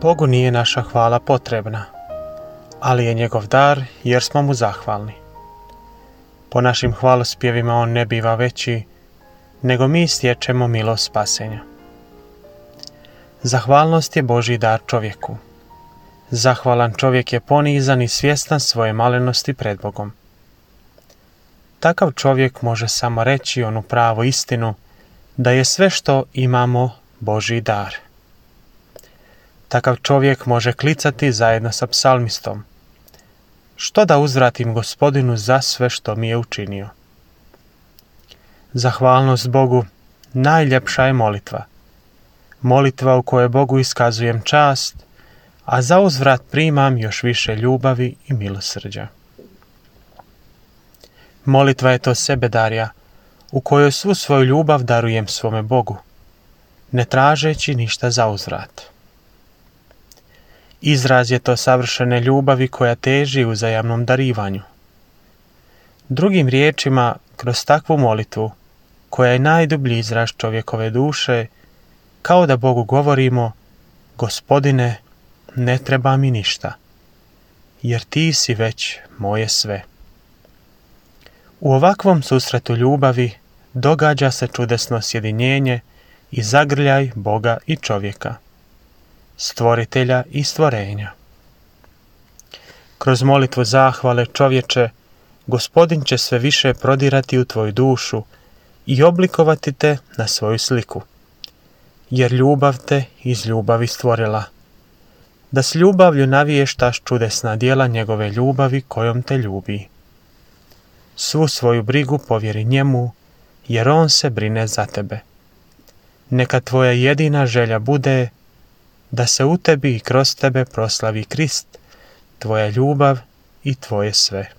Bogu nije naša hvala potrebna, ali je njegov dar jer smo mu zahvalni. Po našim hvalospjevima on ne biva veći, nego mi stječemo milost spasenja. Zahvalnost je Božji dar čovjeku. Zahvalan čovjek je ponizan i svjestan svoje malenosti pred Bogom. Takav čovjek može samo reći onu pravu istinu, da je sve što imamo Božji dar. Takav čovjek može klicati zajedno sa psalmistom: što da uzvratim Gospodinu za sve što mi je učinio. Zahvalnost Bogu najljepša je molitva. Molitva u kojoj Bogu iskazujem čast, a za uzvrat primam još više ljubavi i milosrđa. Molitva je to sebedarja, u kojoj svu svoju ljubav darujem svome Bogu, ne tražeći ništa za uzvrat. Izraz je to savršene ljubavi koja teži uzajamnom darivanju. Drugim riječima, kroz takvu molitvu, koja je najdublji izraz čovjekove duše, kao da Bogu govorimo: Gospodine, ne treba mi ništa, jer ti si već moje sve. U ovakvom susretu ljubavi događa se čudesno sjedinjenje i zagrljaj Boga i čovjeka, stvoritelja i stvorenja. Kroz molitvu zahvale, čovječe, Gospodin će sve više prodirati u tvoju dušu i oblikovati te na svoju sliku, jer ljubav te iz ljubavi stvorila, da s ljubavlju naviještaš čudesna djela njegove ljubavi kojom te ljubi. Svu svoju brigu povjeri njemu, jer on se brine za tebe. Neka tvoja jedina želja bude da se u tebi i kroz tebe proslavi Krist, tvoja ljubav i tvoje sve.